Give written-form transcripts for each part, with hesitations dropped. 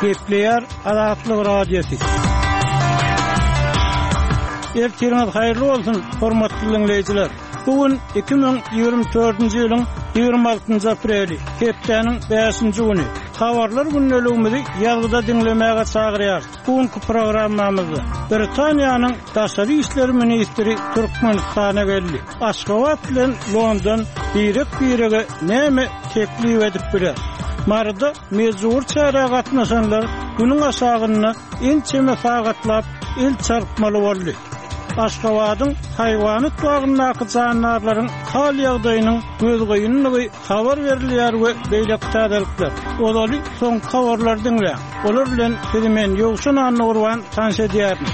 Gepleýär Azatlyk Radiosy. Ertiriňiz haýyrly bolsun, hormatly diňleýjiler! Bu gün 2024-nji ýylyň 26-njy apreli, hepdäniň bäşinji güni. Habarlar gündeligimizi ýazgyda diňlemäge çagyrýarys. Bu günki programmamyzda Britaniýanyň daşary işler ministri Türkmenistana geldi. Aşgabat bilen London birek-birege näme teklip edip biler? Maryda mejbury çärä gatnaşanlar günüň aşagynda ençeme sagatlap el çarpmaly boldy. Aşgabadyň haýwanat bagyndaky jandarlaryň hal-ýagdaýynyň gözgynydygy habar berilýär we beýleki täzelikler. Ozaly soňky habarlary diňläň. Olar bilen sizi men Ýowşan Annagurban tanyş edýärin.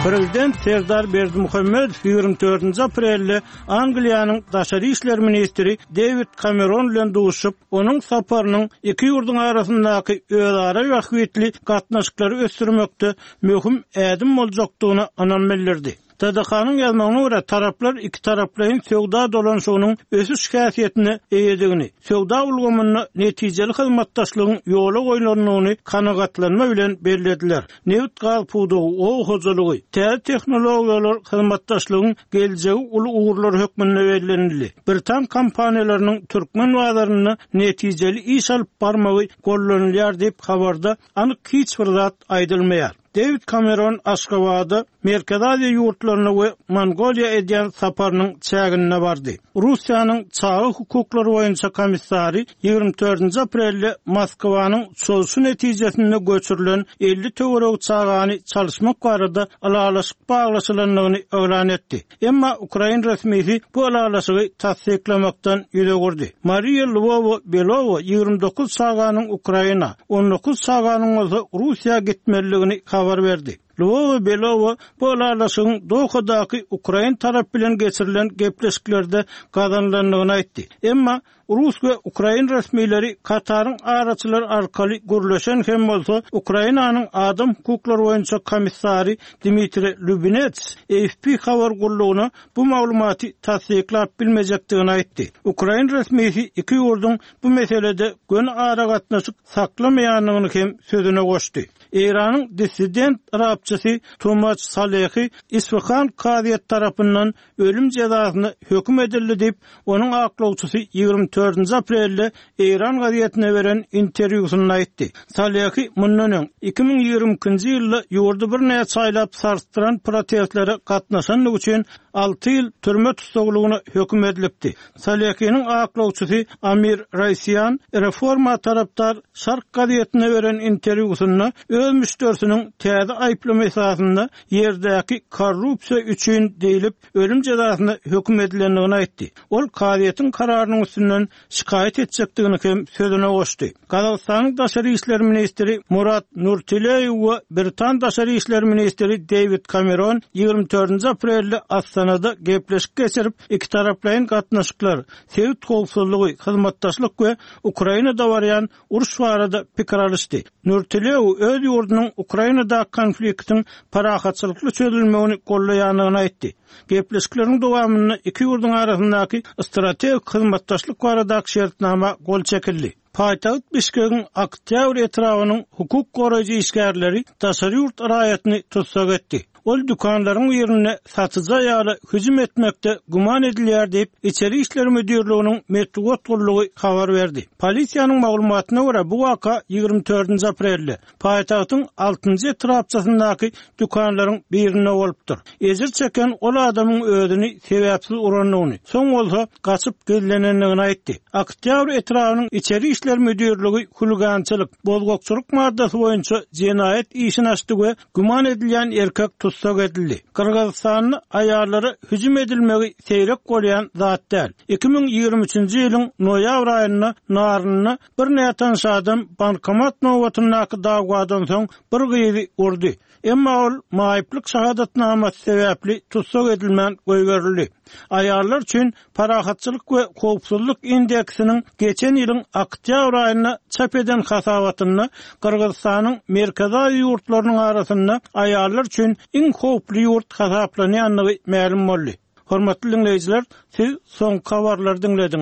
Prezident Serdar Berdimuhamedow 24-nji aprelde Angliýanyň daşary işler ministri Dewid Kameron bilen duşuşyp, onuň saparynyň iki ýurduň arasyndaky özara bähbitli gatnaşyklary ösdürmekde möhüm ädim boljakdygyna ynam bildirdi. TDH-nyň ýazmagyna görä, taraplar ikitaraplaýyn söwda dolanyşygynyň ösüş häsiýetine eýedigini, söwda ulgamynda netijeli hyzmatdaşlygyň ýola goýlandygyny kanagatlanma bilen bellediler. Nebit-gaz pudagy, oba hojalygy, täze tehnologiýalar hyzmatdaşlygyň geljegi uly ugurlary hökmünde bellenildi. Britan kompaniýalarynyň türkmen bazarynda netijeli iş alyp barmagy gollanylýar diýip, habarda anyk hiç bir zat aýdylmaýar. Dewid Kameron Aşgabada Merkezi Aziýa ýurtlaryna we Mongoliýa edýän saparynyň çäginde bardy. Russiýanyň çaga hukuklary boýunça komissary 24-nji aprelde Moskwanyň çozuşy netijesinde göçürilen 50 töweregi çagany çalyşmak barada ylalaşyk baglaşylandygyny yglan etdi. Emma ukrain resmisi bu ylalaşygy tassyklamakdan ýüz öwürdi. Mariýa Lwowa-Belowa 29 çaganyň Ukraina, 19 çaganyň bolsa Russiýa gitmelidigini habar berdi. Lwowa-Belowa bu ylalaşygyň Dohadaky ukrain tarap bilen geçirilen gepleşiklerde gazanylandygyny aýtdy. Emma Rus we ukrain resmileri Kataryň araçylary arkaly gürleşen hem bolsa, Ukrainanyň adam hukuklary boýunça komissary Dmitriý Lubinets AFP habar gullugyna bu maglumaty tassyklap bilmejekdigini aýtdy. Ukrain resmisi iki ýurduň bu meselede göni aragatnaşyk saklamaýandygyny hem sözüne goşdy. Eýranyň dissident rapçysy Tomaç Salehi Isfahan kazyýeti tarapyndan ölüm jezasyna höküm edildi diýip, onuň aklawçysy 24-nji aprelde Eýran gazetine beren interwýusynda aýtdy. Salehi mundan öň, 2022-nji ýylda ýurdy birnäçe aýlap sarsdyran protestlere gatnaşandygy üçin alty ýyl türme tussaglygyna höküm edilipdi. Salehiniň aklawçysy Amir Raisian reforma tarapdar Şark gazetine beren interwýusynda öz müşderisiniň täze aýyplama esasynda ýerdäki korrupsiýa üçin diýlip, ölüm jezasyna höküm edilendigini aýtdy. Ol kazyýetiň kararynyň üstünden şikaýat etjekdigini hem sözüne goşdy. Gazagystanyň daşary işler ministri Murat Nurtileýew we britan daşary işler ministri Deýwid Kameron 24-nji aprelde Astanada gepleşik geçirip, ikitaraplaýyn gatnaşyklar, sebit howpsuzlygy, hyzmatdaşlyk we Ukrainada barýan uruş barada pikir alyşdy. Nurtilew öz ýurdunyň Ukrainadaky konfliktiň parahatçylykly çözülmegini goldaýandygyny aýtdy. Gepleşikleriň dowamynda iki ýurduň arasyndaky strategik hyzmatdaşlyk baradaky şertnama gol çekildi. Paýtagt Bişkegiň Oktýabr etrabynyň hukuk goraýjy işgärleri daşary ýurt raýatyny tussag etdi. Ol dükanlaryň birinde satyjy aýala hüjüm etmekde güman edilýär diýip, Içeri işler müdirliginiň metbugat gullugy habar berdi. Polisiýanyň maglumatyna görä, bu waka 24-nji aprelde, paýtagtyň altynjy etrapçasyndaky dükanlaryň birinde bolupdyr. Ejir çeken ol adamyň özüni sebäpsiz urandygyny, soň bolsa gaçyp gizlenendigini aýtdy. Oktýabr etrabynyň Içeri işler müdirligi huligançylyk, bozgakçylyk maddasy boýunça jenaýat işini açdy we Güman edilýän erkek tussag edildi. Gyrgyzystanda aýallara hüjüm edilmegi seýrek bolýan zat däl. 2023-nji ýylyň noýabr aýynda Narynda bir nätanyş adam bankomat nobatyndaky dawwadan soň bir gyzy urdy. Emma ol maýyplyk şahadatnamasy sebäpli tussag edilmän goýberildi. Aýallar üçin Parahatçylyk we howpsuzlyk indeksiniň geçen ýylyň oktýabr aýynda çap eden hasabatynda Gyrgyzystanyň Merkezi Aziýa ýurtlarynyň arasynda aýallar üçin iň howply ýurt hasaplanýandygy mälim boldy. Hormatly diňleýjiler, siz soňky habarlary diňlediňiz.